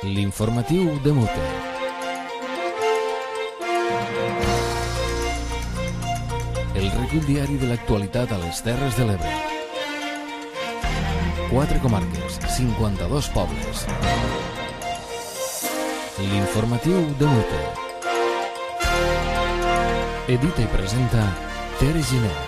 L'informatiu de Mute. El recull diari de l'actualitat a les Terres de l'Ebre. 4 comarques, 52 pobles. L'informatiu de Mute. Edita i presenta Tere Giner.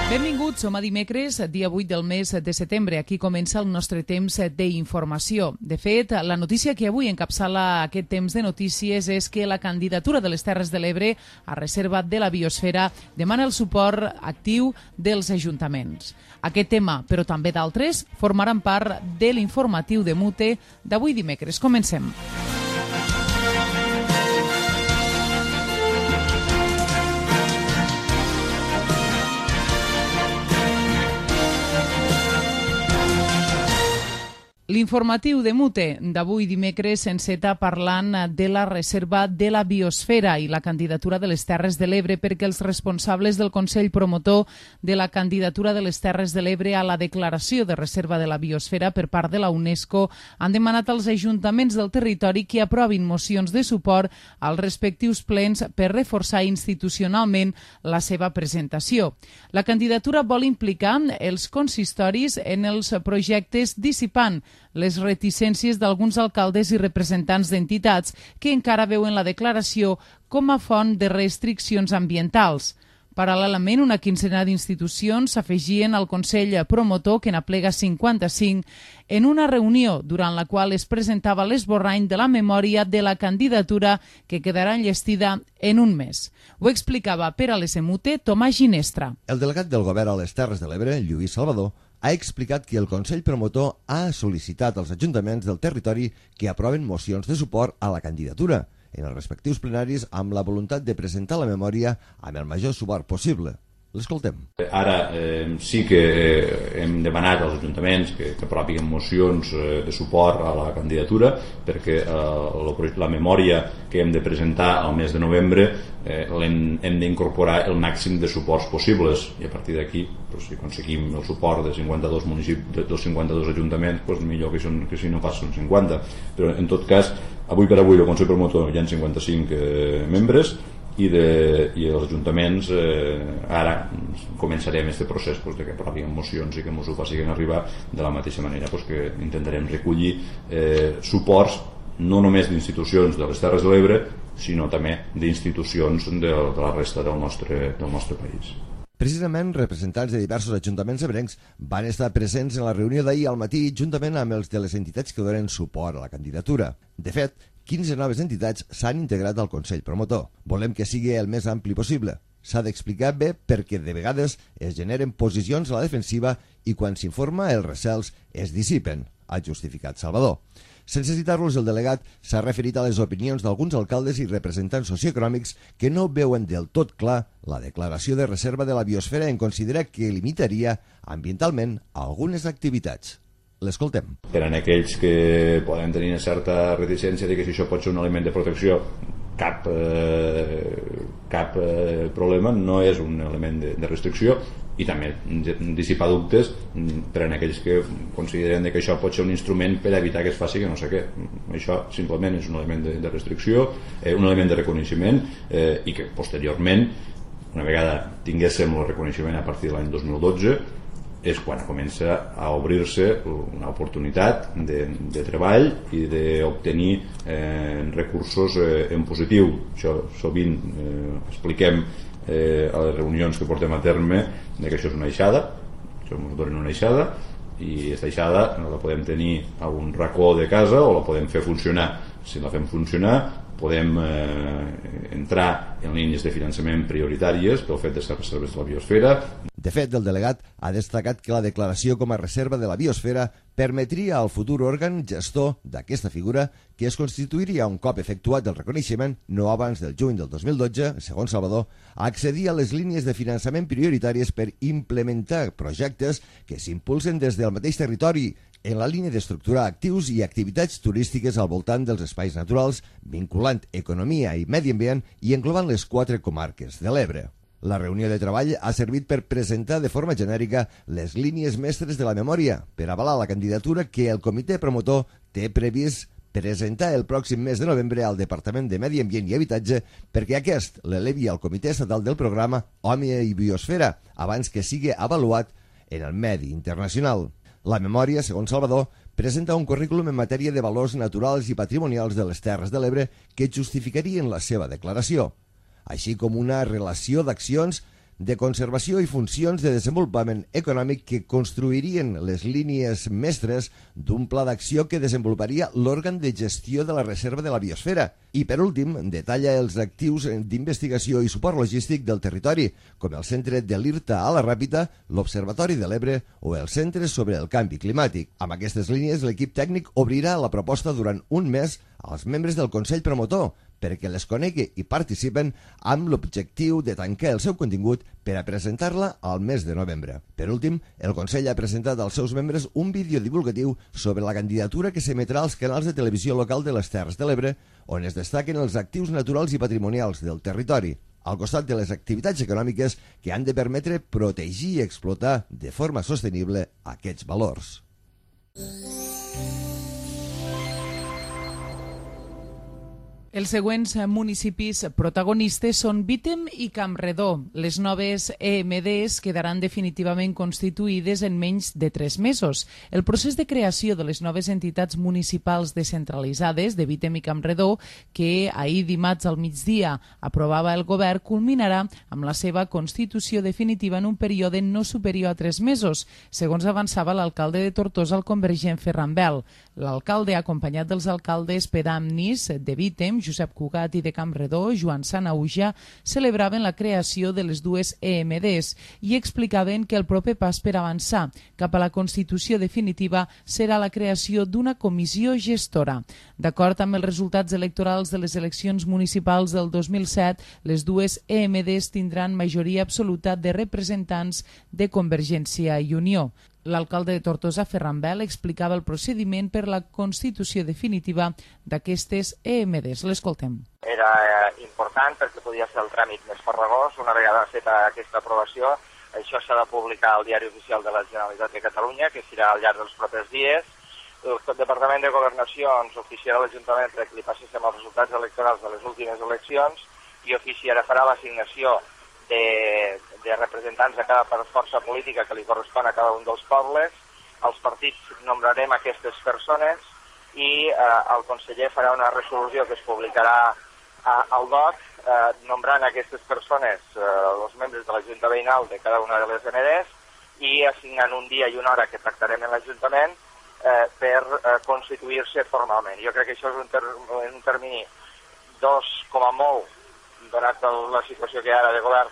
Benvinguts, som a dimecres, dia 8 del mes de setembre. Aquí comença el nostre temps d'informació. De fet, la notícia que avui encapçala aquest temps de notícies és que la candidatura de les Terres de l'Ebre a reserva de la biosfera demana el suport actiu dels ajuntaments. Aquest tema, però també d'altres, formaran part de l'informatiu de Mute d'avui dimecres. Comencem. L'informatiu de Mute d'avui dimecres s'enceta parlant de la reserva de la biosfera i la candidatura de les Terres de l'Ebre, perquè els responsables del Consell Promotor de la candidatura de les Terres de l'Ebre a la declaració de reserva de la biosfera per part de la UNESCO han demanat als ajuntaments del territori que aprovin mocions de suport als respectius plens per reforçar institucionalment la seva presentació. La candidatura vol implicar els consistoris en els projectes dissipant les reticències d'alguns alcaldes i representants d'entitats que encara veuen la declaració com a font de restriccions ambientals. Paral·lelament, una quinzena d'institucions s'afegien al Consell Promotor, que n'aplega 55, en una reunió durant la qual es presentava l'esborrany de la memòria de la candidatura que quedarà enllestida en un mes. Ho explicava per a l'SMUTE Tomàs Ginestra. El delegat del govern a les Terres de l'Ebre, Lluís Salvador, ha explicat que el Consell Promotor ha sol·licitat als ajuntaments del territori que aproven mocions de suport a la candidatura en els respectius plenaris amb la voluntat de presentar la memòria amb el major suport possible. L'escoltem. Ara sí que hem demanat als ajuntaments que aprovin mocions de suport a la candidatura, perquè la memòria que hem de presentar al mes de novembre hem d'incorporar el màxim de suports possibles, i a partir d'aquí, si aconseguim el suport de 52 municipis, dels 52 ajuntaments, millor que si no pas són 50. Però en tot cas, avui per avui el Consell Promotor hi ha 55 membres, i els ajuntaments ara començarem aquest procés de que aprovin mocions i que ens ho facin arribar de la mateixa manera que intentarem recollir suports no només d'institucions de les Terres de l'Ebre, sinó també d'institucions de la resta del nostre país. Precisament, representants de diversos ajuntaments ebrencs van estar presents en la reunió d'ahir al matí juntament amb els de les entitats que donen suport a la candidatura. De fet, 15 noves entitats s'han integrat al Consell Promotor. Volem que sigui el més ampli possible. S'ha d'explicar bé perquè de vegades es generen posicions a la defensiva i quan s'informa els recels es dissipen, ha justificat Salvador. Sense citar-los, el delegat s'ha referit a les opinions d'alguns alcaldes i representants socioeconòmics que no veuen del tot clar la declaració de reserva de la biosfera en considerar que limitaria ambientalment algunes activitats. L'escoltem. Per a aquells que poden tenir una certa reticència de que si això pot ser un element de protecció, cap problema, no és un element de restricció, i també dissipar dubtes per a aquells que consideren que això pot ser un instrument per evitar que es faci que no sé què. Això simplement és un element de restricció, un element de reconeixement, i que posteriorment, una vegada tinguéssim el reconeixement a partir de l'any 2012, és quan comença a obrir-se una oportunitat de treball i d'obtenir recursos en positiu. Això sovint expliquem a les reunions que portem a terme que això és una aixada, això ens donen una aixada, i aquesta aixada la podem tenir a un racó de casa o la podem fer funcionar. Si la fem funcionar, podem entrar en línies de finançament prioritàries pel fet de ser reserves de la biosfera. De fet, el delegat ha destacat que la declaració com a reserva de la biosfera permetria al futur òrgan gestor d'aquesta figura que es constituiria un cop efectuat el reconeixement, no abans del juny del 2012, segons Salvador, a accedir a les línies de finançament prioritàries per implementar projectes que s'impulsen des del mateix territori en la línia d'estructurar actius i activitats turístiques al voltant dels espais naturals, vinculant economia i medi ambient i englobant les 4 comarques de l'Ebre. La reunió de treball ha servit per presentar de forma genèrica les línies mestres de la memòria per avalar la candidatura que el comitè promotor té previst presentar el pròxim mes de novembre al Departament de Medi Ambient i Habitatge perquè aquest l'elevi al Comitè Estatal del Programa Home i Biosfera abans que sigui avaluat en el medi internacional. La memòria, segons Salvador, presenta un currículum en matèria de valors naturals i patrimonials de les Terres de l'Ebre que justificarien la seva declaració, així com una relació d'accions de conservació i funcions de desenvolupament econòmic que construirien les línies mestres d'un pla d'acció que desenvoluparia l'òrgan de gestió de la reserva de la biosfera. I, per últim, detalla els actius d'investigació i suport logístic del territori, com el Centre de l'IRTA a la Ràpita, l'Observatori de l'Ebre o el Centre sobre el Canvi Climàtic. Amb aquestes línies, l'equip tècnic obrirà la proposta durant un mes als membres del Consell Promotor, perquè les conegui i participen amb l'objectiu de tancar el seu contingut per a presentar-la al mes de novembre. Per últim, el Consell ha presentat als seus membres un vídeo divulgatiu sobre la candidatura que s'emetrà als canals de televisió local de les Terres de l'Ebre, on es destaquen els actius naturals i patrimonials del territori, al costat de les activitats econòmiques que han de permetre protegir i explotar de forma sostenible aquests valors. Els següents municipis protagonistes són Vítem i Campredó. Les noves EMDs quedaran definitivament constituïdes en menys de 3 mesos. El procés de creació de les noves entitats municipals descentralitzades de Vítem i Campredó, que ahir dimarts al migdia aprovava el govern, culminarà amb la seva constitució definitiva en un període no superior a 3 mesos, segons avançava l'alcalde de Tortosa, el convergent Ferran Bel. L'alcalde, acompanyat dels alcaldes pedamnis de Vítem, Josep Cugat, i de Campredó, Joan Sanauja, celebraven la creació de les dues EMDs i explicaven que el proper pas per avançar cap a la constitució definitiva serà la creació d'una comissió gestora. D'acord amb els resultats electorals de les eleccions municipals del 2007, les dues EMDs tindran majoria absoluta de representants de Convergència i Unió. L'alcalde de Tortosa, Ferran Bel, explicava el procediment per la constitució definitiva d'aquestes EMDs. L'escoltem. Era important perquè podia ser el tràmit més farragós. Una vegada feta aquesta aprovació, això s'ha de publicar al Diari Oficial de la Generalitat de Catalunya, que serà al llarg dels propers dies. El Departament de Governació ens oficiarà l'Ajuntament perquè li passéssim els resultats electorals de les últimes eleccions i farà l'assignació de representants de cada força política que li correspon a cada un dels pobles. Els partits nombrarem aquestes persones i el conseller farà una resolució que es publicarà al DOC, nombrant aquestes persones, els membres de la Junta Veïnal de cada una de les EMDs, i assignant un dia i una hora que tractarem en l'Ajuntament per constituir-se formalment. Jo crec que això és un termini com a molt, donat la situació que hi ha ara de govern,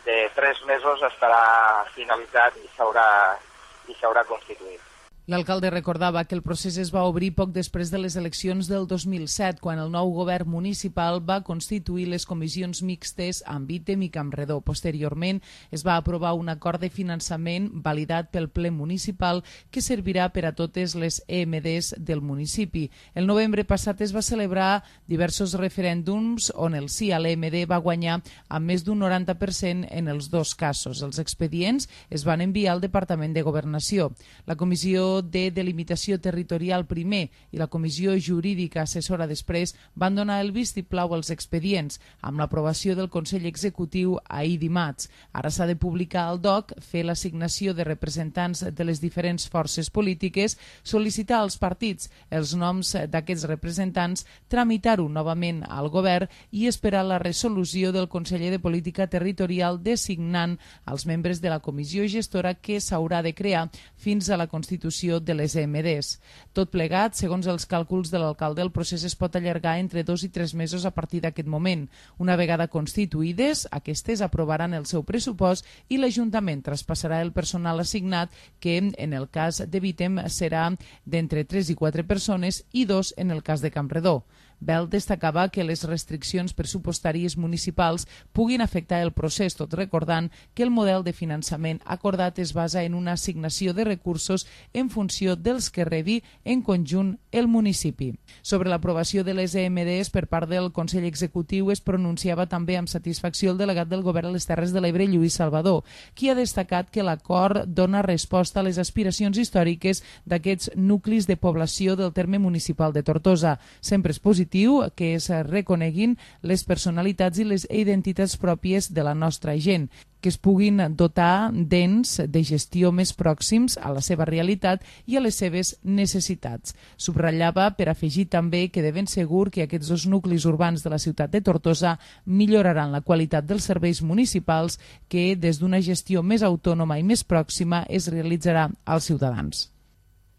de 3 mesos estarà finalitzat i s'haurà constituït. L'alcalde recordava que el procés es va obrir poc després de les eleccions del 2007, quan el nou govern municipal va constituir les comissions mixtes amb Vítem i Campredó. Posteriorment es va aprovar un acord de finançament validat pel ple municipal que servirà per a totes les EMDs del municipi. El novembre passat es va celebrar diversos referèndums on el sí a l'EMD va guanyar amb més d'un 90% en els dos casos. Els expedients es van enviar al Departament de Governació. La Comissió de Delimitació Territorial primer i la Comissió Jurídica Assessora després van donar el vistiplau als expedients amb l'aprovació del Consell Executiu ahir dimarts. Ara s'ha de publicar al DOC, fer l'assignació de representants de les diferents forces polítiques, sol·licitar als partits els noms d'aquests representants, tramitar-ho novament al govern i esperar la resolució del conseller de Política Territorial designant els membres de la comissió gestora que s'haurà de crear fins a la constitució de les EMDs. Tot plegat, segons els càlculs de l'alcalde, el procés es pot allargar entre 2 i 3 mesos a partir d'aquest moment. Una vegada constituïdes, aquestes aprovaran el seu pressupost i l'Ajuntament traspassarà el personal assignat, que en el cas de Vítem serà d'entre 3 i 4 persones i 2 en el cas de Campredó. Bel destacava que les restriccions pressupostàries municipals puguin afectar el procés, tot recordant que el model de finançament acordat es basa en una assignació de recursos en funció dels que rebi en conjunt el municipi. Sobre l'aprovació de les EMDs per part del Consell Executiu es pronunciava també amb satisfacció el delegat del Govern a les Terres de l'Ebre, Lluís Salvador, qui ha destacat que l'acord dona resposta a les aspiracions històriques d'aquests nuclis de població del terme municipal de Tortosa. Sempre és positiu que es reconeguin les personalitats i les identitats pròpies de la nostra gent, que es puguin dotar d'ens de gestió més pròxims a la seva realitat i a les seves necessitats. Subratllava per afegir també que de ben segur que aquests dos nuclis urbans de la ciutat de Tortosa milloraran la qualitat dels serveis municipals que des d'una gestió més autònoma i més pròxima es realitzarà als ciutadans.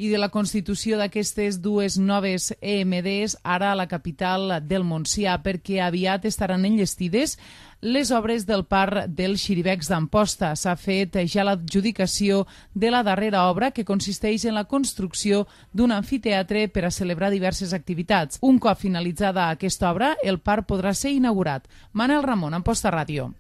I de la constitució d'aquestes dues noves EMDs, ara a la capital del Montsià, perquè aviat estaran enllestides les obres del parc dels Xiribecs d'Amposta. S'ha fet ja l'adjudicació de la darrera obra, que consisteix en la construcció d'un amfiteatre per a celebrar diverses activitats. Un cop finalitzada aquesta obra, el parc podrà ser inaugurat. Manel Ramon, Amposta Ràdio.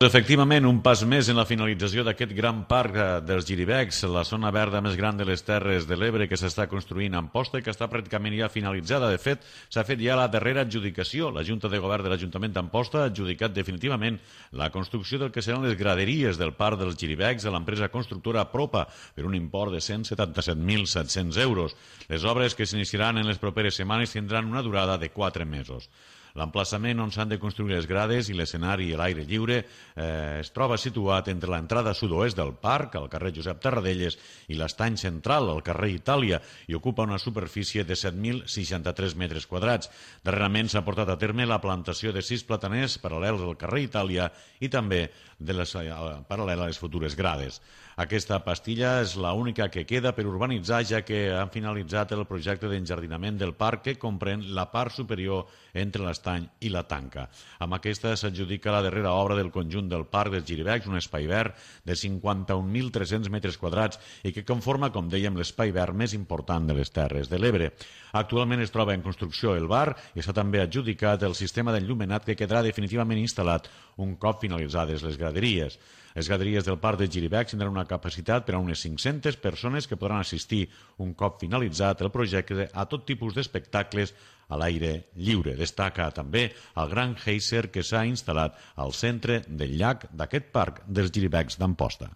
Efectivament, un pas més en la finalització d'aquest gran parc dels Xiribecs, la zona verda més gran de les Terres de l'Ebre que s'està construint a Amposta i que està pràcticament ja finalitzada. De fet, s'ha fet ja la darrera adjudicació. La Junta de Govern de l'Ajuntament d'Amposta ha adjudicat definitivament la construcció del que seran les graderies del parc dels Xiribecs a l'empresa constructora Propa per un import de 177.700 euros. Les obres que s'iniciaran en les properes setmanes tindran una durada de 4 mesos. L'emplaçament on s'han de construir les grades i l'escenari a l'aire lliure es troba situat entre l'entrada sud-oest del parc, al carrer Josep Tarradellas, i l'estany central, al carrer Itàlia, i ocupa una superfície de 7.063 metres quadrats. Darrerament s'ha portat a terme la plantació de 6 plataners paral·lels al carrer Itàlia i també paral·lel a les futures grades. Aquesta pastilla és l'única que queda per urbanitzar, ja que han finalitzat el projecte d'enjardinament del parc que comprèn la part superior entre l'estany i la tanca. Amb aquesta s'adjudica la darrera obra del conjunt del parc dels Xiribecs, un espai verd de 51.300 metres quadrats i que conforma, com dèiem, l'espai verd més important de les Terres de l'Ebre. Actualment es troba en construcció el bar i està també adjudicat el sistema d'enllumenat que quedarà definitivament instal·lat un cop finalitzades les graderies. Les graderies del parc de Xiribecs tindran una capacitat per a unes 500 persones que podran assistir un cop finalitzat el projecte a tot tipus d'espectacles a l'aire lliure. Destaca també el gran geyser que s'ha instal·lat al centre del llac d'aquest parc dels Xiribecs d'Amposta.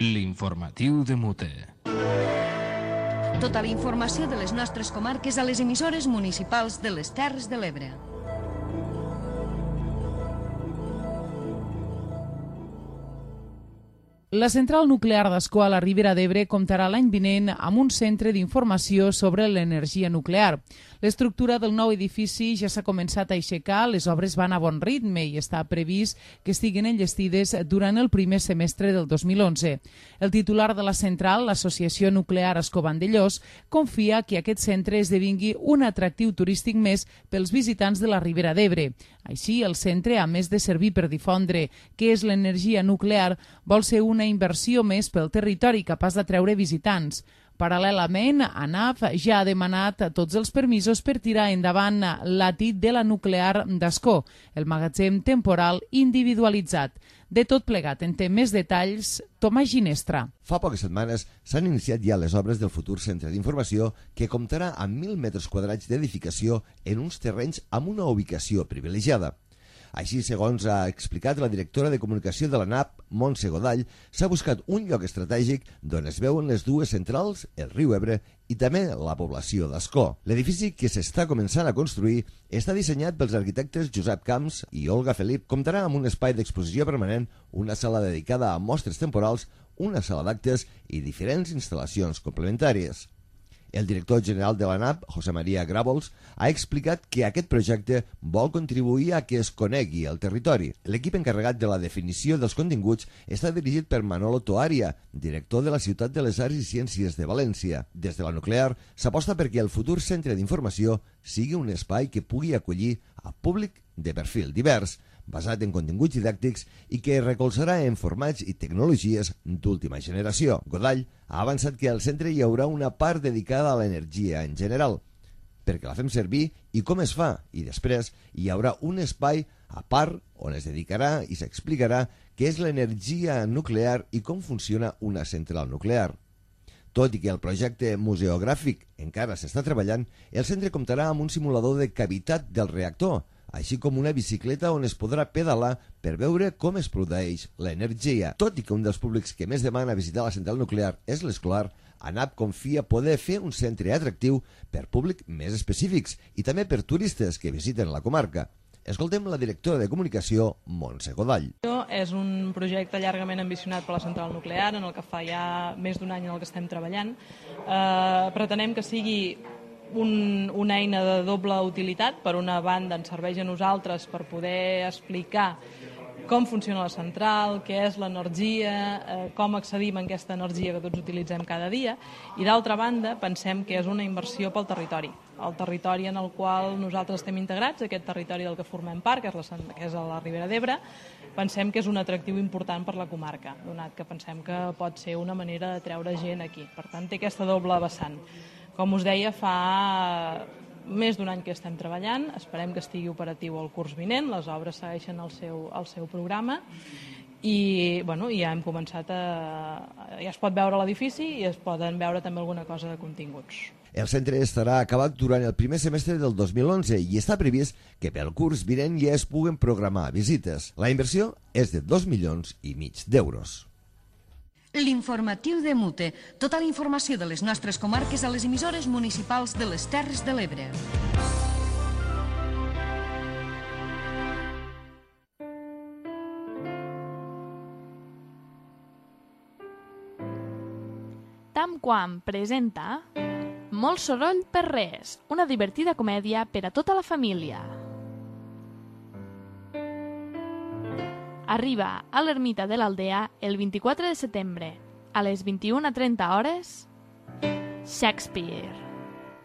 L'informatiu de Mute. Tota la informació de les nostres comarques a les emissores municipals de les Terres de l'Ebre. La central nuclear d'Ascó a la Ribera d'Ebre comptarà l'any vinent amb un centre d'informació sobre l'energia nuclear. L'estructura del nou edifici ja s'ha començat a aixecar, les obres van a bon ritme i està previst que estiguin enllestides durant el primer semestre del 2011. El titular de la central, l'Associació Nuclear Ascó-Vandellós, confia que aquest centre esdevingui un atractiu turístic més pels visitants de la Ribera d'Ebre. Així, el centre, a més de servir per difondre què és l'energia nuclear, vol ser una inversió més pel territori capaç d'atreure visitants. Paral·lelament, ANAF ja ha demanat tots els permisos per tirar endavant l'ATIT de la nuclear d'Ascó, el magatzem temporal individualitzat. De tot plegat, en té més detalls Tomàs Ginestra. Fa poques setmanes s'han iniciat ja les obres del futur centre d'informació que comptarà amb 1.000 metres quadrats d'edificació en uns terrenys amb una ubicació privilegiada. Així, segons ha explicat la directora de comunicació de l'ANAP, Montse Godall, s'ha buscat un lloc estratègic d'on es veuen les dues centrals, el riu Ebre i també la població d'Ascó. L'edifici que s'està començant a construir està dissenyat pels arquitectes Josep Camps i Olga Felip. Comptarà amb un espai d'exposició permanent, una sala dedicada a mostres temporals, una sala d'actes i diferents instal·lacions complementàries. El director general de l'ANAP, José María Gravols, ha explicat que aquest projecte vol contribuir a que es conegui el territori. L'equip encarregat de la definició dels continguts està dirigit per Manolo Toaria, director de la Ciutat de les Arts i Ciències de València. Des de la nuclear s'aposta perquè el futur centre d'informació sigui un espai que pugui acollir a públic de perfil divers, basat en continguts didàctics i que recolzarà en formats i tecnologies d'última generació. Godall ha avançat que al centre hi haurà una part dedicada a l'energia en general. perquè la fem servir i com es fa, i després hi haurà un espai a part on es dedicarà i s'explicarà què és l'energia nuclear i com funciona una central nuclear. Tot i que el projecte museogràfic encara s'està treballant, el centre comptarà amb un simulador de cavitat del reactor, així com una bicicleta on es podrà pedalar per veure com es produeix l'energia. Tot i que un dels públics que més demana visitar la central nuclear és l'escolar, ANAP confia poder fer un centre atractiu per públic més específics i també per turistes que visiten la comarca. Escoltem la directora de comunicació, Montse Godall. És un projecte llargament ambicionat per la central nuclear, en el que fa ja més d'un any en el que estem treballant. Pretenem que sigui una eina de doble utilitat. Per una banda, ens serveix a nosaltres per poder explicar com funciona la central, què és l'energia, com accedim a aquesta energia que tots utilitzem cada dia, i d'altra banda pensem que és una inversió pel territori, el territori en el qual nosaltres estem integrats, aquest territori del que formem part, que és a la Ribera d'Ebre. Pensem que és un atractiu important per la comarca, donat que pensem que pot ser una manera de treure gent aquí. Per tant, té aquesta doble vessant. Com us deia, fa més d'un any que estem treballant, esperem que estigui operatiu el curs vinent, les obres segueixen el seu programa i ja hem començat ja es pot veure l'edifici i es poden veure també alguna cosa de continguts. El centre estarà acabat durant el primer semestre del 2011 i està previst que pel curs vinent ja es puguen programar visites. La inversió és de 2,5 milions d'euros. L'informatiu de Mute. Tota la informació de les nostres comarques a les emissores municipals de les Terres de l'Ebre. Tamquam presenta Molt soroll per res, una divertida comèdia per a tota la família. Arriba a l'ermita de l'Aldea el 24 de setembre, a les 21:30 hores, Shakespeare,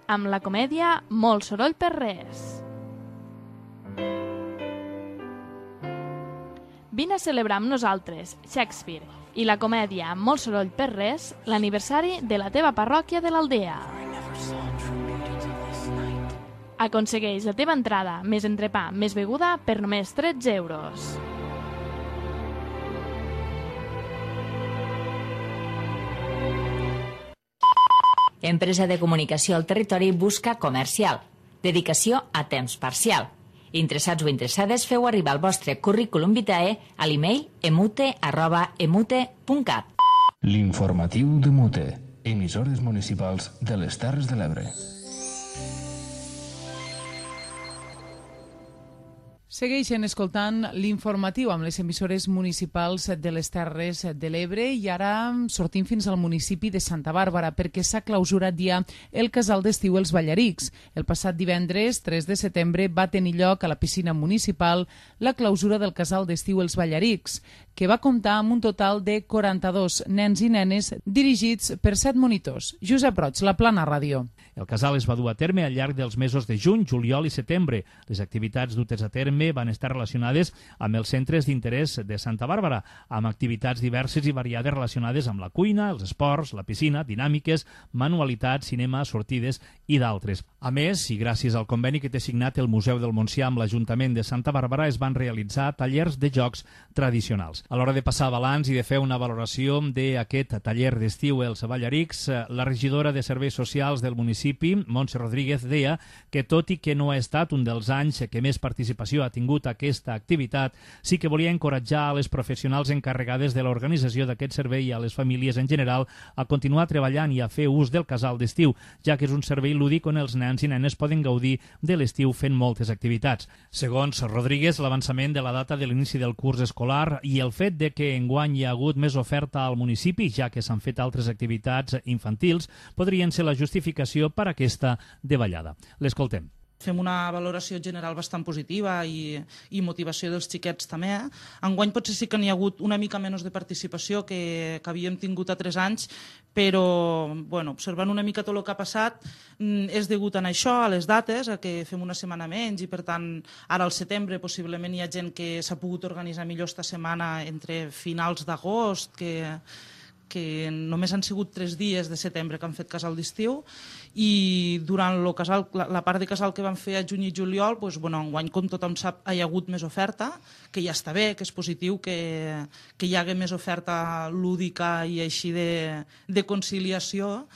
amb la comèdia Molt soroll per res. Vine a celebrar amb nosaltres, Shakespeare, i la comèdia Molt soroll per res, l'aniversari de la teva parròquia de l'Aldea. Aconsegueix la teva entrada, més entrepà, més beguda, per només 13 euros. Empresa de comunicació al territori busca comercial. Dedicació a temps parcial. Interessats o interessades, feu arribar el vostre currículum vitae a l'email emute@emute.cat. L'informatiu de Mute. Emissores municipals de les Terres de l'Ebre. Segueixen escoltant l'informatiu amb les emissores municipals de les Terres de l'Ebre i ara sortim fins al municipi de Santa Bàrbara perquè s'ha clausurat ja el casal d'estiu Els Ballarics. El passat divendres, 3 de setembre, va tenir lloc a la piscina municipal la clausura del casal d'estiu Els Ballarics, que va comptar amb un total de 42 nens i nenes dirigits per 7 monitors. Josep Roig, La Plana Ràdio. El casal es va dur a terme al llarg dels mesos de juny, juliol i setembre. Les activitats dutes a terme van estar relacionades amb els centres d'interès de Santa Bàrbara, amb activitats diverses i variades relacionades amb la cuina, els esports, la piscina, dinàmiques, manualitats, cinema, sortides i d'altres. A més, i gràcies al conveni que té signat el Museu del Montsià amb l'Ajuntament de Santa Bàrbara, es van realitzar tallers de jocs tradicionals. A l'hora de passar balanç i de fer una valoració d'aquest taller d'estiu Els Ballarics, la regidora de Serveis Socials del municipi, Montse Rodríguez, deia que tot i que no ha estat un dels anys que més participació ha tingut aquesta activitat, sí que volia encoratjar a les professionals encarregades de l'organització d'aquest servei i a les famílies en general a continuar treballant i a fer ús del casal d'estiu, ja que és un servei lúdic on els nens i nenes poden gaudir de l'estiu fent moltes activitats. Segons Rodríguez, l'avançament de la data de l'inici del curs escolar i el fet de que enguany hi ha hagut més oferta al municipi, ja que s'han fet altres activitats infantils, podrien ser la justificació per aquesta davallada. L'escoltem. Fem una valoració general bastant positiva i motivació dels xiquets també. Enguany potser sí que n'hi ha hagut una mica menys de participació que havíem tingut a 3 anys, però observant una mica tot el que ha passat és degut a això, a les dates, a que fem una setmana menys i per tant ara al setembre possiblement hi ha gent que s'ha pogut organitzar millor esta setmana entre finals d'agost, que que només han sigut 3 dies de setembre que han fet casal d'estiu, i durant la part de casal que van fer a juny i juliol, enguany, com tothom sap, hi ha hagut més oferta, que ja està bé, que és positiu que hi hagi més oferta lúdica i així de conciliació,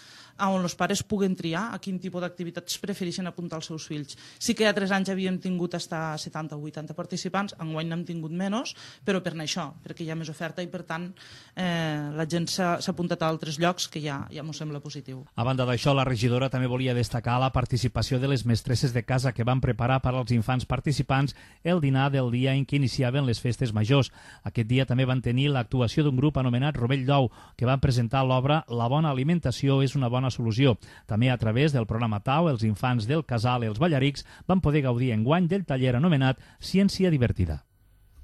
on els pares puguen triar a quin tipus d'activitats prefereixen apuntar els seus fills. Sí que ja 3 anys havíem tingut hasta 70 o 80 participants, enguany n'hem tingut menys, però per això, perquè hi ha més oferta i per tant la gent s'ha apuntat a altres llocs que ja m'ho sembla positiu. A banda d'això, la regidora també volia destacar la participació de les mestresses de casa que van preparar per als infants participants el dinar del dia en què iniciaven les festes majors. Aquest dia també van tenir l'actuació d'un grup anomenat Rovell d'Ou, que van presentar l'obra La bona alimentació és una bona solució. També a través del programa TAU, els infants del casal i els ballarics van poder gaudir enguany del taller anomenat Ciència Divertida.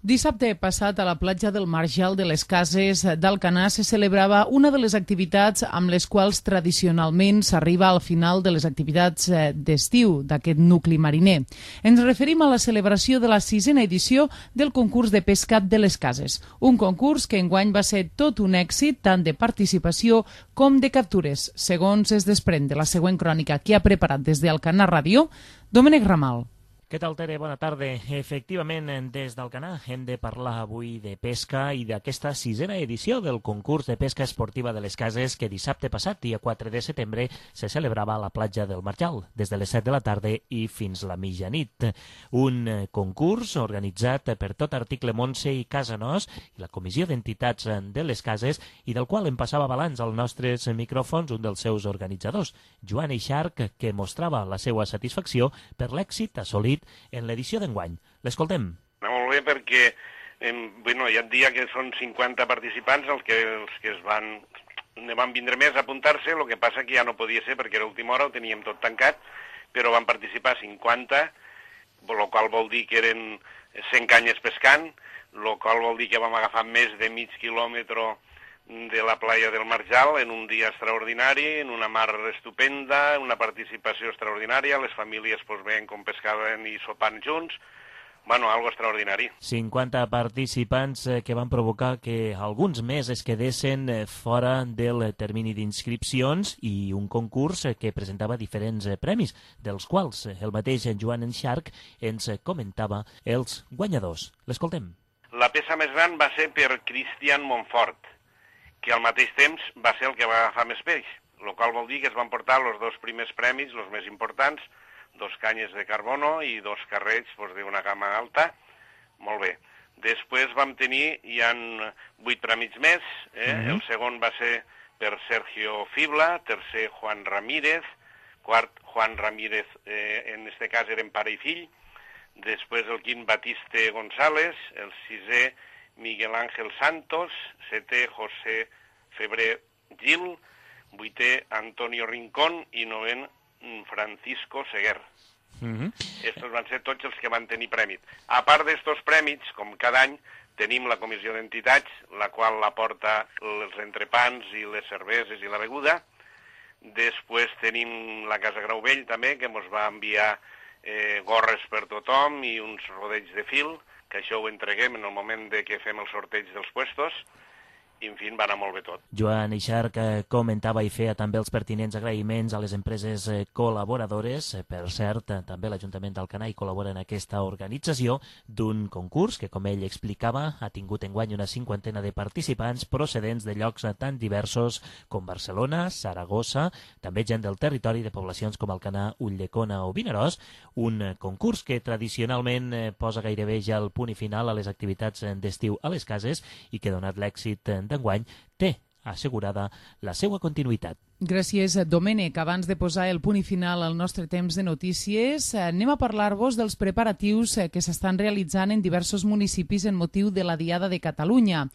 Dissabte passat a la platja del Marjal de les Cases d'Alcanar se celebrava una de les activitats amb les quals tradicionalment s'arriba al final de les activitats d'estiu d'aquest nucli mariner. Ens referim a la celebració de la 6a edició del concurs de pesca de les Cases, un concurs que enguany va ser tot un èxit tant de participació com de captures, segons es desprèn de la següent crònica que ha preparat des d'Alcanar Ràdio, Domènec Ramal. Què tal, Tere? Bona tarda. Efectivament, des d'Alcanar hem de parlar avui de pesca i d'aquesta 6a edició del concurs de pesca esportiva de les Cases que dissabte passat, dia 4 de setembre, se celebrava a la platja del Marjal, des de les 7 de la tarda i fins la mitjanit. Un concurs organitzat per Tot Article Montse i Casa Nos i la Comissió d'Entitats de les Cases i del qual em passava balanç als nostres micròfons un dels seus organitzadors, Joan Eixarc, que mostrava la seva satisfacció per l'èxit assolit en l'edició d'enguany. L'escoltem. Molt bé, perquè hi ha un dia que són 50 participants els que van vindre més a apuntar-se, el que passa que ja no podia ser perquè era última hora, ho teníem tot tancat, però van participar 50, el qual vol dir que eren 100 canyes pescant, el qual vol dir que vam agafar més de mig quilòmetre de la playa del Marjal en un dia extraordinari, en una mar estupenda, una participació extraordinària, les famílies veien com pescaven i sopant junts, algo extraordinari. 50 participants que van provocar que alguns més es quedessin fora del termini d'inscripcions i un concurs que presentava diferents premis, dels quals el mateix Joan Eixarc ens comentava els guanyadors. L'escoltem. La peça més gran va ser per Cristian Montfort, que al mateix temps va ser el que va agafar més peix, el qual vol dir que es van portar els 2 primers premis, els més importants, 2 canyes de carbono i 2 carrets d'una gamma alta. Molt bé. Després vam tenir, hi ha 8 premis més, el segon va ser per Sergio Fibla, tercer Juan Ramírez, quart Juan Ramírez, en este cas eren pare i fill, després el quint Batiste González, el sisè Miguel Ángel Santos, 7è José Febrer Gil, 8è Antonio Rincón i 9è Francisco Seguer. Estos van ser tots els que van tenir prèmit. A part d'estos prèmits, com cada any, tenim la comissió d'entitats, la qual aporta els entrepans i les cerveses i la beguda. Després tenim la Casa Grauvell també, que ens va enviar gorres per tothom i uns rodells de fil, que això ho entreguem en el moment de que fem el sorteig dels puestos, i en fi, va anar molt bé tot. Joan Eixarc comentava i feia també els pertinents agraïments a les empreses col·laboradores. Per cert, també l'Ajuntament d'Alcanar col·labora en aquesta organització d'un concurs que, com ell explicava, ha tingut enguany una 50ena de participants procedents de llocs tan diversos com Barcelona, Saragossa, també gent del territori de poblacions com Alcanar, Ulldecona o Vinaròs, un concurs que tradicionalment posa gairebé ja el punt i final a les activitats d'estiu a les cases i que, donat l'èxit d'enguany, té assegurada la seva continuïtat. Gràcies, Domènec. Abans de posar el punt i final al nostre temps de notícies, anem a parlar-vos dels preparatius que s'estan realitzant en diversos municipis en motiu de la Diada de Catalunya.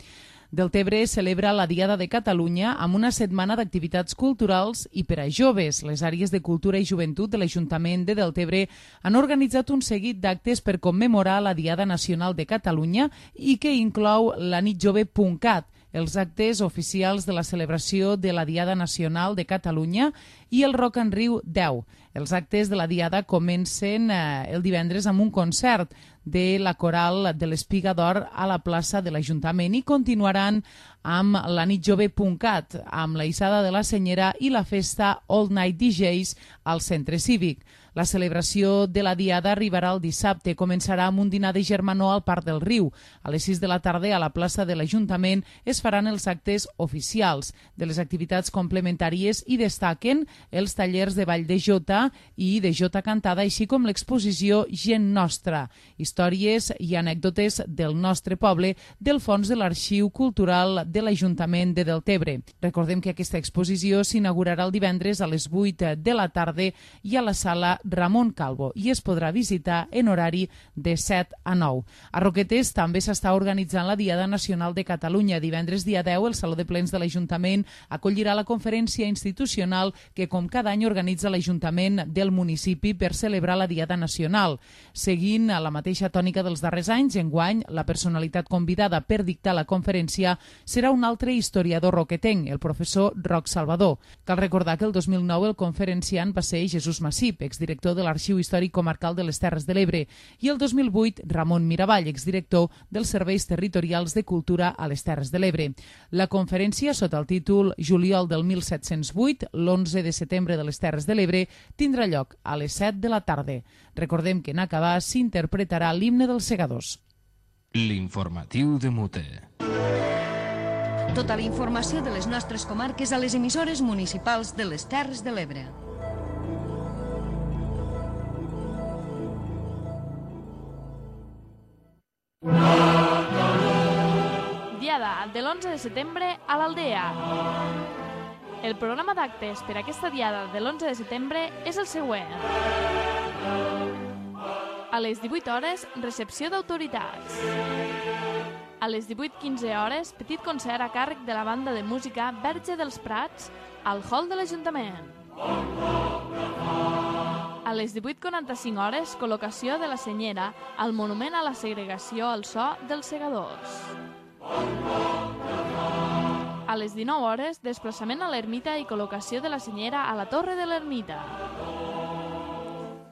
Deltebre celebra la Diada de Catalunya amb una setmana d'activitats culturals i per a joves. Les àrees de cultura i joventut de l'Ajuntament de Deltebre han organitzat un seguit d'actes per commemorar la Diada Nacional de Catalunya i que inclou la nitjove.cat, els actes oficials de la celebració de la Diada Nacional de Catalunya i el Rock en Riu 10. Els actes de la Diada comencen el divendres amb un concert de la Coral de l'Espiga d'Or a la plaça de l'Ajuntament i continuaran amb la nitjove.cat, amb la Issada de la Senyera i la festa All Night DJs al Centre Cívic. La celebració de la Diada arribarà el dissabte. Començarà amb un dinar de germanor al Parc del Riu. A les 6 de la tarda, a la plaça de l'Ajuntament, es faran els actes oficials. De les activitats complementàries hi destaquen els tallers de ball de jota i de jota cantada, així com l'exposició Gent Nostra, històries i anècdotes del nostre poble del fons de l'Arxiu Cultural de l'Ajuntament de Deltebre. Recordem que aquesta exposició s'inaugurarà el divendres a les 8 de la tarda i a la sala Ramon Calvo i es podrà visitar en horari de 7 a 9. A Roquetes també s'està organitzant la Diada Nacional de Catalunya. Divendres dia 10, el Saló de Plens de l'Ajuntament acollirà la conferència institucional que com cada any organitza l'Ajuntament del municipi per celebrar la Diada Nacional. Seguint a la mateixa tònica dels darrers anys, enguany la personalitat convidada per dictar la conferència serà un altre historiador roquetenc, el professor Roc Salvador. Cal recordar que el 2009 el conferenciant va ser Jesús Massip, exdirector de l'Arxiu Històric Comarcal de les Terres de l'Ebre, i el 2008 Ramon Miravall, exdirector dels Serveis Territorials de Cultura a les Terres de l'Ebre. La conferència, sota el títol Juliol del 1708, l'11 de setembre de les Terres de l'Ebre, tindrà lloc a les 7 de la tarda. Recordem que en acabar s'interpretarà l'himne dels segadors. L'informatiu de Mute. Tota la informació de les nostres comarques a les emissores municipals de les Terres de l'Ebre. Diada de l'11 de setembre a l'Aldea. El programa d'actes per aquesta diada de l'11 de setembre és el següent. A les 18 hores, recepció d'autoritats. A les 18:15 hores, petit concert a càrrec de la banda de música Verge dels Prats al hall de l'Ajuntament. A les 18:45 hores, col·locació de la senyera al monument a la segregació al so dels segadors. A les 19 hores, desplaçament a l'ermita i col·locació de la senyera a la torre de l'ermita.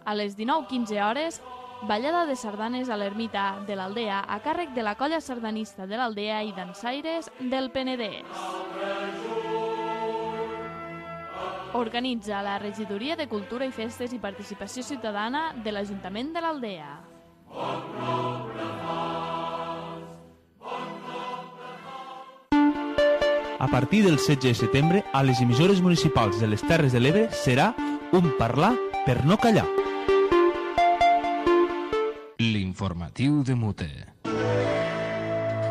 A les 19:15 hores, ballada de sardanes a l'ermita de l'Aldea a càrrec de la colla sardanista de l'Aldea i dansaires del Penedès. Organitza la Regidoria de Cultura i Festes i Participació Ciutadana de l'Ajuntament de l'Aldea. A partir del 16 de setembre, a les emissores municipals de les Terres de l'Ebre serà un parlar per no callar. L'informatiu de Mute.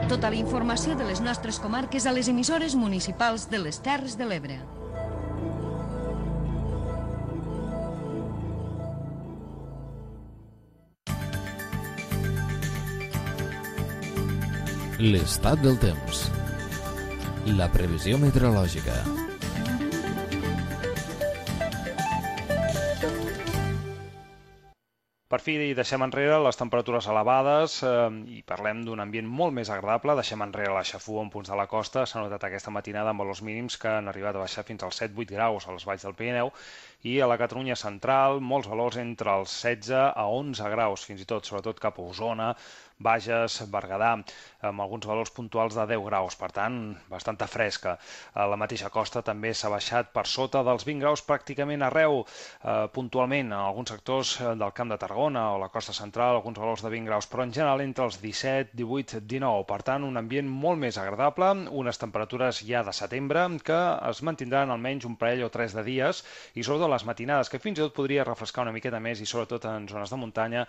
Tota la informació de les nostres comarques a les emissores municipals de les Terres de l'Ebre. L'estat del temps. La previsió meteorològica. Per fi deixem enrere les temperatures elevades i parlem d'un ambient molt més agradable. Deixem enrere la xafua en punts de la costa. S'ha notat aquesta matinada amb valors mínims que han arribat a baixar fins als 7-8 graus a les valls del Pirineu i a la Catalunya central molts valors entre els 16 a 11 graus, fins i tot, sobretot cap a Osona, Bages, Berguedà, amb alguns valors puntuals de 10 graus, per tant, bastanta fresca. A la mateixa costa també s'ha baixat per sota dels 20 graus pràcticament arreu, puntualment en alguns sectors del Camp de Tarragona o la costa central, alguns valors de 20 graus, però en general entre els 17, 18, 19. Per tant, un ambient molt més agradable, unes temperatures ja de setembre que es mantindran almenys un parell o 3 de dies i sobretot les matinades, que fins i tot podria refrescar una miqueta més i sobretot en zones de muntanya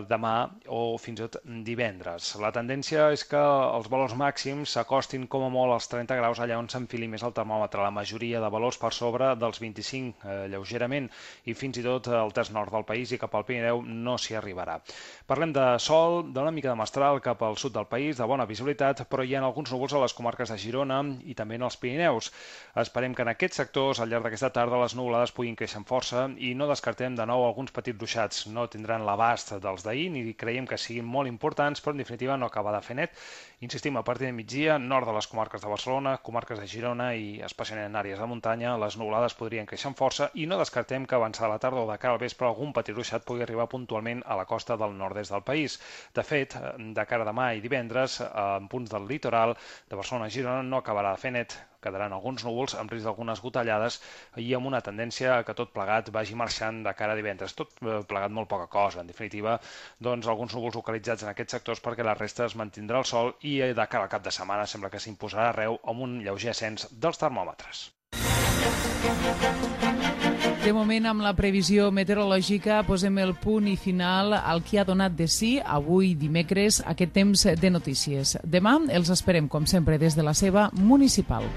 demà o fins i tot divendres. La tendència és que els valors màxims s'acostin com a molt als 30 graus allà on s'enfili més el termòmetre. La majoria de valors per sobre dels 25 lleugerament i fins i tot al terç nord del país i cap al Pirineu no s'hi arribarà. Parlem de sol, d'una mica de mestral cap al sud del país, de bona visibilitat, però hi ha alguns núvols a les comarques de Girona i també en els Pirineus. Esperem que en aquests sectors al llarg d'aquesta tarda les nuvolades puguin créixer amb força i no descartem de nou alguns petits ruixats. No tindran l'abast dels d'ahir ni creiem que siguin molt importants, però en definitiva no acaba de fer net. Insistim, a partir de migdia, nord de les comarques de Barcelona, comarques de Girona i especialment en àrees de muntanya, les nuvolades podrien créixer amb força i no descartem que avançada la tarda o de cara al vespre algun petit ruixat pugui arribar puntualment a la costa del nord-est del país. De fet, de cara a demà i divendres, en punts del litoral de Barcelona i Girona no acabarà de fer net. Quedaran alguns núvols amb risc d'algunes gotellades i amb una tendència que tot plegat vagi marxant de cara a divendres. Tot plegat molt poca cosa. En definitiva, doncs alguns núvols localitzats en aquests sectors perquè la resta es mantindrà el sol i de cara al cap de setmana sembla que s'imposarà arreu amb un lleuger ascens dels termòmetres. De moment, amb la previsió meteorològica, posem el punt i final al que ha donat de si avui dimecres aquest temps de notícies. Demà els esperem, com sempre, des de la seva municipal.